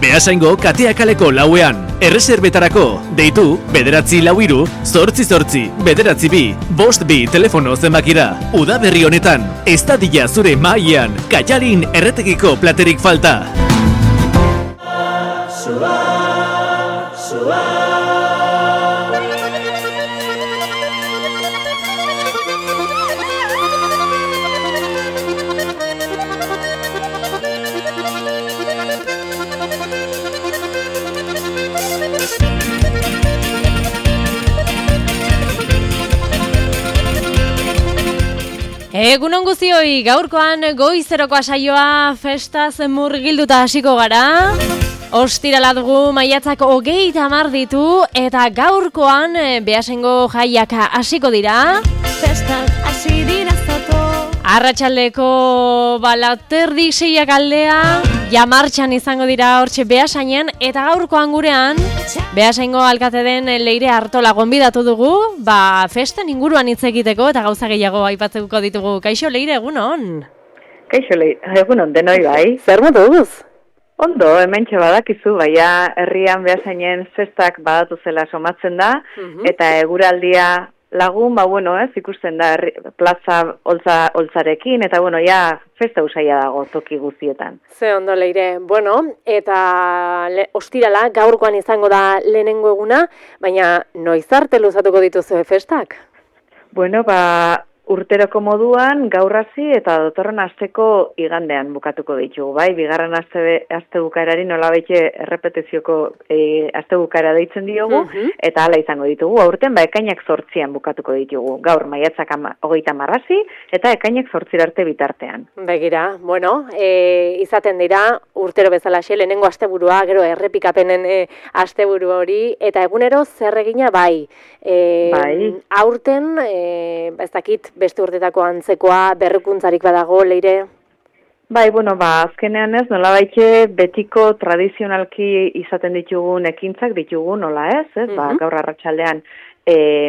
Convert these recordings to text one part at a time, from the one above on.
Beasaingo Katea kaleko 4ean. Erreserbetarako, deitu, 944-888-992, 52 telefono zenbakira. Udaberri honetan, ez dadila zure mailan, Kaialin erretegiko platerik falta. Egunon guztioi, gaurkoan goizerokoa saioa festaz murgilduta hasiko gara. Ostirala dugu maiatzak 30 ditu eta gaurkoan Beasaingo jaiak hasiko dira. Festak hasi dira zato. Arratsaldeko balaterdik 6 aldea, ja martxan izango dira hortxe Beasainen eta gaurkoan gurean Beasaingo alkate den Leire Artola gonbidatu dugu, festen inguruan hitz egiteko eta gauza gehiago aipatzeko ditugu. Kaixo Leire, egunon. Kaixo Leire, egunon denoi bai. Zer moduz? Ondo, hementxe badakizu, baina herrian Beasainen festak badatu zela somatzen da, eta eguraldia lagun, ikusten da plaza holtzarekin, eta festa usaia dago toki guztietan. Ze ondo Leire, eta ostirala gaurkoan izango da lehenengo eguna, baina noiz arte luzatuko dituzue festak? Urteroko moduan gaur hasi eta datorren asteko igandean bukatuko ditugu, bai? Bigarren aste bukaerari nolabaite errepetizioko aste bukaera deitzen diogu, eta hala izango ditugu. Aurten ekainak 8an bukatuko ditugu. Gaur maiatzak 30 hasi eta ekainak 8 arte bitartean. Begira, izaten dira urtero bezalaxe lehenengo asteburua, gero errepikapenen asteburu hori, eta egunero zer egina bai. Aurten, ez dakit, beste urtetako antzekoa, berrikuntzarik badago, Leire? Azkenean ez, nolabaite betiko tradizionalki izaten ditugun ekintzak ditugu, nola ez? Gaur arratsaldean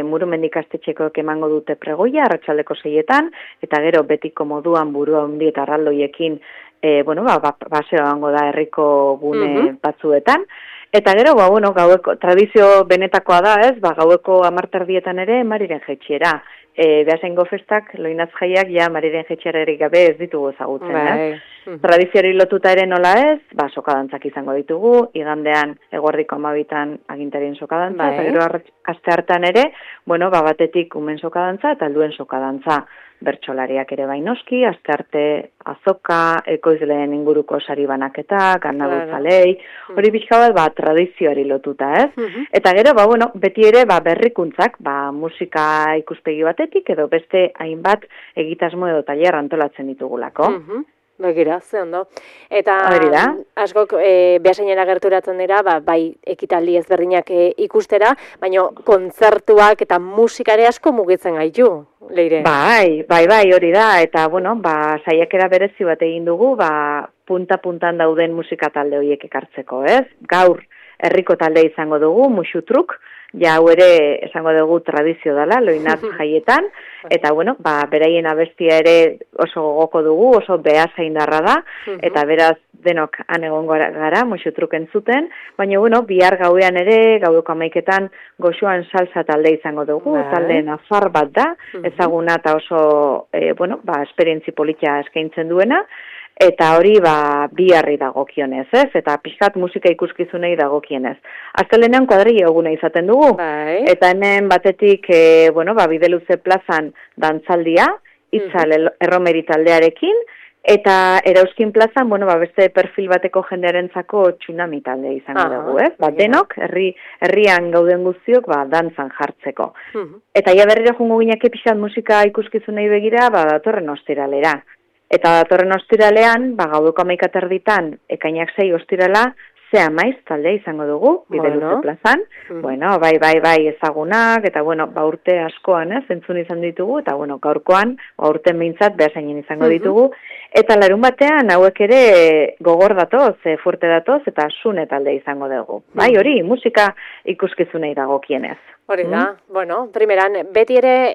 Murumendi ikastetxekoek emango dute pregoia, arratsaldeko 6etan, eta gero betiko moduan burua handi eta arraldoiekin, baseo egongo da herriko gune batzuetan. Eta gero, gaueko, tradizio benetakoa da ez, gaueko 10 ere Mariren Jetxiera. Beasaingo festak, loinaz jaiak, Mariren Jetxierarik gabe ez ditugu ezagutzen, Tradizioari lotuta ere nola ez, sokadantzak izango ditugu, igandean eguerdiko 12 agintarien sokadantza, eta gero aste hartan ere, batetik umen sokadantza eta helduen sokadantza. Bertsolariak ere bainoski, aste arte azoka, ekoizleen inguruko sari banaketa, karnavalzalei, hori pixka bat tradizioari lotuta, ez? Eta gero, beti ere berrikuntzak, musika ikuspegi batetik, edo beste hainbat egitasmo edo tailer antolatzen ditugulako. Begira, ze ondo. Eta askok Beasainera gerturatzen dira, bai ekitaldi ezberdinak ikustera, baina kontzertuak eta musikare asko mugitzen gaitu, Leire. Bai, hori da, eta saiakera berezi bat egin dugu, punta-puntan dauden musika talde horiek ekartzeko, ez? Gaur herriko talde izango dugu, Musutruk, hau ere esango dugu tradizio dela, loinaz jaietan, eta beraien abestia ere oso gogoko dugu, oso beasaindarra da, eta beraz denok han egongo gara, Musutruk entzuten, baina bihar gauean ere, gaueko 11etan goxoan salsa talde izango dugu, talde nafar bat da, ezaguna eta oso, esperientzi politia eskaintzen duena, eta hori biharri dagokionez, ez? Eta pixkat musika ikuskizunei dagokienez. Astelehenean kuadrilla eguna izaten dugu, eta hemen batetik, Bideluze plazan dantzaldia, Itzal Erromeri taldearekin, eta Erauzkin plazan, beste perfil bateko jendearentzako tsunami talde izango dugu, ez? Denok, herrian gauden guztiok, dantzan jartzeko. Eta berriro jungo gineak pixkat musika ikuskizunei begira, datorren ostiralera. Eta datorren ostiralean, gaueko 11 ekainak 6 ostirala, Zea Maiz talde izango dugu, Bideluze plazan. Bai, ezagunak, eta urte askoan, entzun izan ditugu, eta gaurkoan, urten behintzat, Beasainen izango ditugu. Eta larun batean, hauek ere gogor datoz, fuerte datoz, eta Sune talde izango dugu. Bai, hori, musika ikuskizunei dagokienez. Hori da, primeran, beti ere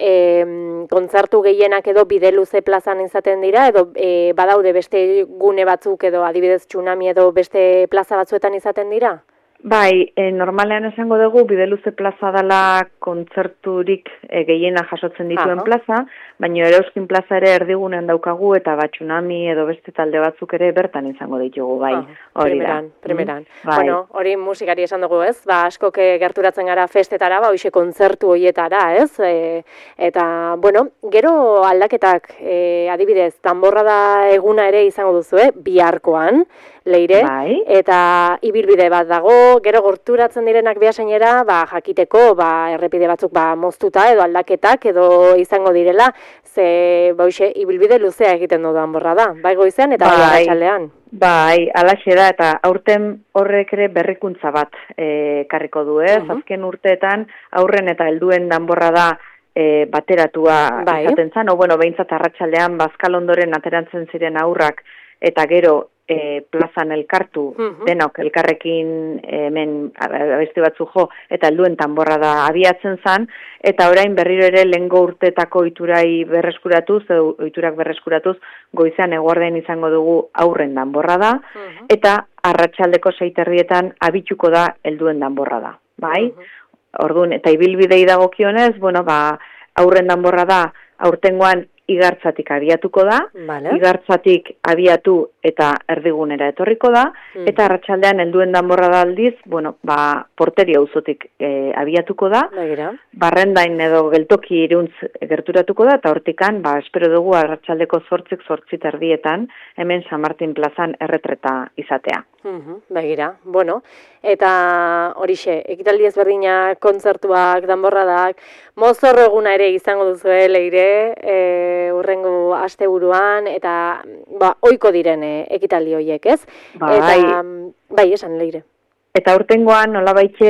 kontzertu gehienak edo Bideluze plazan izaten dira, edo badaude beste gune batzuk edo adibidez tsunami edo beste plaza batzuetan bertan izaten dira? Bai, normalean esango dugu Bideluze plaza dela kontzerturik gehiena jasotzen dituen plaza, baina Erauzkin plaza ere erdigunean daukagu eta Batxunami edo beste talde batzuk ere bertan izango ditugu, bai. Hori primeran. Bai. Bueno, hori musikari esan dugu, ez? Askok gerturatzen gara festetara, hoxe kontzertu hoietara, ez? Eta, bueno, gero aldaketak, adibidez, danborrada eguna ere izango duzu, biharkoan, Leire, bai. Eta ibilbide bat dago, gero gorturatzen direnak Beasainera, jakiteko, errepide batzuk moztuta edo aldaketak edo izango direla, ze ibilbide luzea egiten du danborra da, bai goizean eta bai arratsaldean. Bai, alaxe da, eta aurten horrek ere berrikuntza bat karriko du, ez? Azken urteetan aurren eta helduen danborra da bateratua izaten zan, behintzat arratsaldean Bazkal ondoren aterantzen ziren aurrak eta gero plazan elkartu, denok elkarrekin hemen abesti batzu jo, eta helduen danborra da abiatzen zan, eta orain berriro ere lehengo urteetako ohiturai berreskuratuz, ohiturak berreskuratuz, goizean eguardean izango dugu aurren danborra da, eta arratsaldeko 6:00 abituko da helduen danborra da, bai? Orduan, eta ibilbidei dagokionez, aurren danborra da aurtengoan Igartzatik abiatuko da, Igartzatik abiatu eta erdigunera etorriko da, eta arratsaldean helduen danborra da aldiz, Porteria auzotik abiatuko da, Barrendain edo Geltoki Iruntz gerturatuko da, eta hortikan, espero dugu arratsaldeko 8:30 hemen San Martin plazan erretreta izatea. Begira, bueno, eta horixe, ekitaldi ezberdinak, kontzertuak, danborradak, mozorro eguna ere izango duzu, Leire, urrengo asteburuan, eta ohiko diren ekitaldi horiek, ez? Eta, bai, esan, Leire. Eta urtengoan nolabaitxe,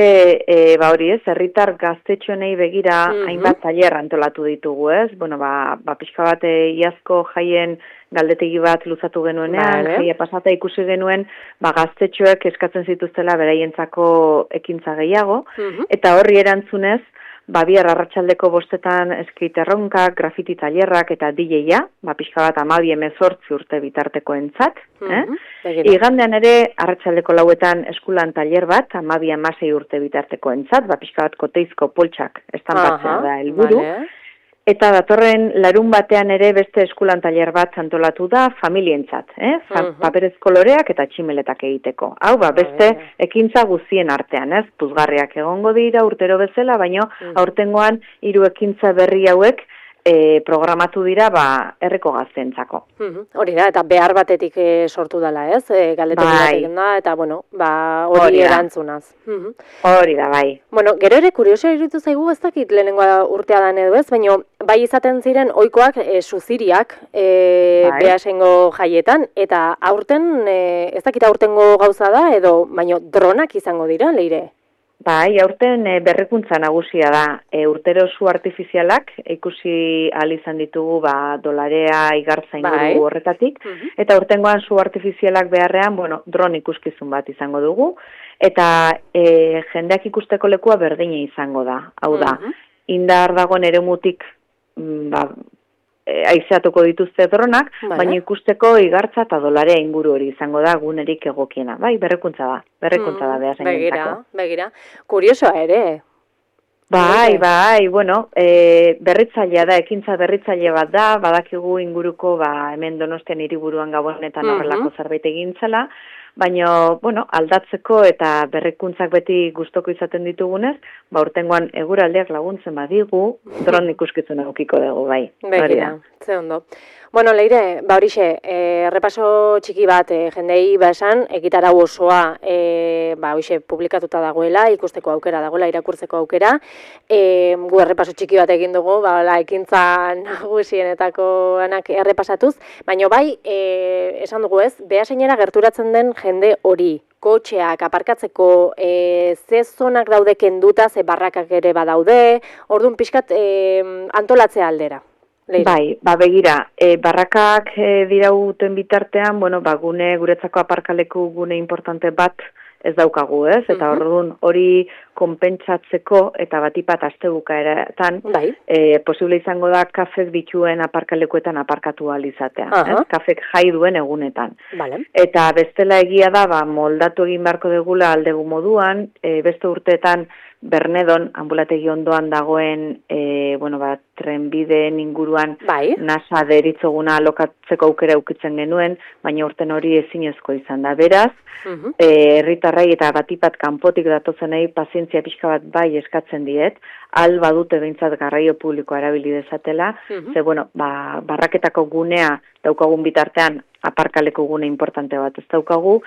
hori ez, herritar gaztetxoenei begira hainbat tailer antolatu ditugu, ez? Pixka bat iazko jaien galdetegi bat luzatu genuenean, jaia pasata ikusi genuen, gaztetxoek eskatzen zituztela beraientzako ekintza gehiago, eta horri erantzunez, bihar arratsaldeko 5:00 eskrit erronkak, grafiti tailerrak eta DJ-a, pixka bat 12-18 urte bitartekoentzat. Igandean ere arratsaldeko 9:00 eskulan tailer bat, 12-16 urte bitartekoentzat, pixka bat Koteizko poltsak estanpatzea da helburu. Eta datorren larun batean ere beste eskulan tailer bat antolatu da familientzat, paperez koloreak eta tximeletak egiteko. Hau, beste ekintza guztien artean, puzgarriak egongo dira urtero bezala, baino aurtengoan 3 ekintza berri hauek programatu dira herriko gaztentzako. Hori da, eta behar batetik sortu dela, ez? Galdetekin batekin da, eta hori erantzunaz. Hori da, bai. Bueno, gero ere kurioso iruditu zaigu, ez dakit lehenengoa urtea dan edo ez, baina bai izaten ziren ohikoak suziriak Beasaingo jaietan, eta aurten, ez dakit aurtengo gauza da, edo, baina dronak izango dira, Leire? Bai, aurten berrikuntza nagusia da. Urtero zu artifizialak ikusi ahal izan ditugu Dolarea, Igartza inguru horretatik, eta urtengoan zu artifizialak beharrean, dron ikuskizun bat izango dugu, eta jendeak ikusteko lekua berdina izango da. Hau da, indar dagoen eremutik aizeatuko dituzte dronak, baina ikusteko Igartza eta Dolarea inguru hori izango da gunerik egokiena. Bai, berrikuntza da Beasainentzako. Begira, kuriosoa ere. Bai, berritzailea da, ekintza berritzaile bat da, badakigu inguruko hemen Donostian hiriburuan Gabonetan horrelako zerbait egintzela, baina, aldatzeko eta berrikuntzak beti gustoko izaten ditugunez, urtengoan eguraldiak laguntzen badigu, dron ikuskizuna aukiko dugu, bai. Begira, ze ondo. Bueno, Leire, horixe, repaso txiki bat jendei esan, egitarau osoa hoxe publikatuta dagoela, ikusteko aukera dagoela, irakurtzeko aukera. Gu errepaso txiki bat egin dugu, ekintza nagusienetako anak errepasatuz, baina bai, esan dugu ez, Beasainera gerturatzen den jende hori, kotxeak aparkatzeko ze zonak daude kenduta, ze barrakak ere badaude, orduan pixkat antolatzea aldera. Leire. Bai, begira, barrakak dirauten bitartean, guretzako aparkaleku gune importante bat ez daukagu, ez? Eta orduan hori konpentsatzeko eta batipat astebukaeretan Bai. posible izango da kafek dituen aparkalekuetan aparkatu ahal izatea. Kafek jai duen egunetan. Vale. Eta bestela egia da, moldatu egin beharko degula aldegu moduan, beste urteetan Bernedon, ambulategi ondoan dagoen, trenbideen inguruan NASA deritzoguna alokatzeko aukera aukitzen genuen, baina urten hori ezinezko izan da. Beraz, herritarrai eta batipat kanpotik datozenei pazientzia pixka bat bai eskatzen diet, badute behintzat garraio publikoa erabili dezatela, ze, barraketako gunea daukagun bitartean aparkaleko gune importante bat ez daukagu,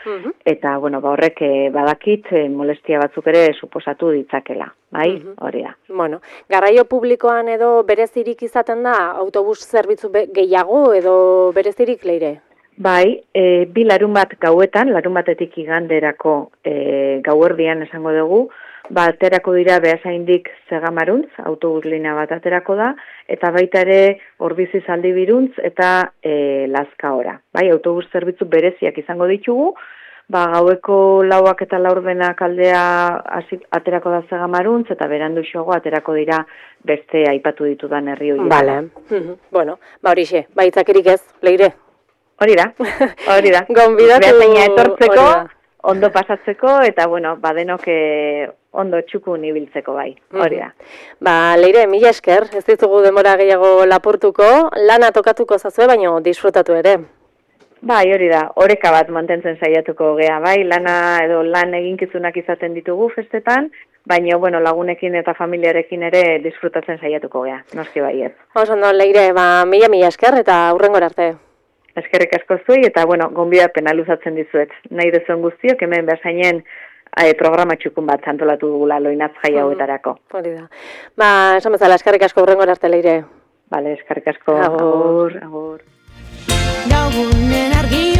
eta, horrek badakit molestia batzuk ere suposatu ditzakela, bai, hori da. Bueno, garraio publikoan edo berezirik izaten da autobus zerbitzu gehiago edo berezirik Leire? Bai, bi larun bat gauetan, larun batetik iganderako gauerdian esango dugu, aterako dira Beasaindik Zegamaruntz, autobus linea bat aterako da, eta baita ere Ordizi Zaldibiruntz eta Lazkaora. Bai, autobus zerbitzu bereziak izango ditugu, gaueko 4 eta 4:40 aldea aterako da Zegamaruntz, eta beranduxoago aterako dira beste aipatu ditudan herri horiek. Vale. Bueno, horixe, baitzakerik ez, Leire? Hori da. Gonbidatu Beasaina etortzeko, ondo pasatzeko, eta, badenok ondo txukun ibiltzeko bai, hori da. Leire, mila esker, ez ditugu denbora gehiago lapurtuko, lana tokatuko zazue, baina disfrutatu ere. Bai, hori da, oreka bat mantentzen saiatuko gea, bai, lana edo lan eginkizunak izaten ditugu festetan, baina, lagunekin eta familiarekin ere disfrutatzen saiatuko gea, noski bai ez. Ondo, Leire, mila esker eta hurrengora arte. Eskerrik asko zuei, eta, gonbidapena luzatzen dizuet. Nahi duzuen guztiok, hemen Beasainen programa txukun bat antolatu dugula loinatz jai hauetarako. Hori da. Esan bezala, eskerrik asko hurrengora arte, Leire. Bale, eskerrik asko. Agur. Gaugunen argi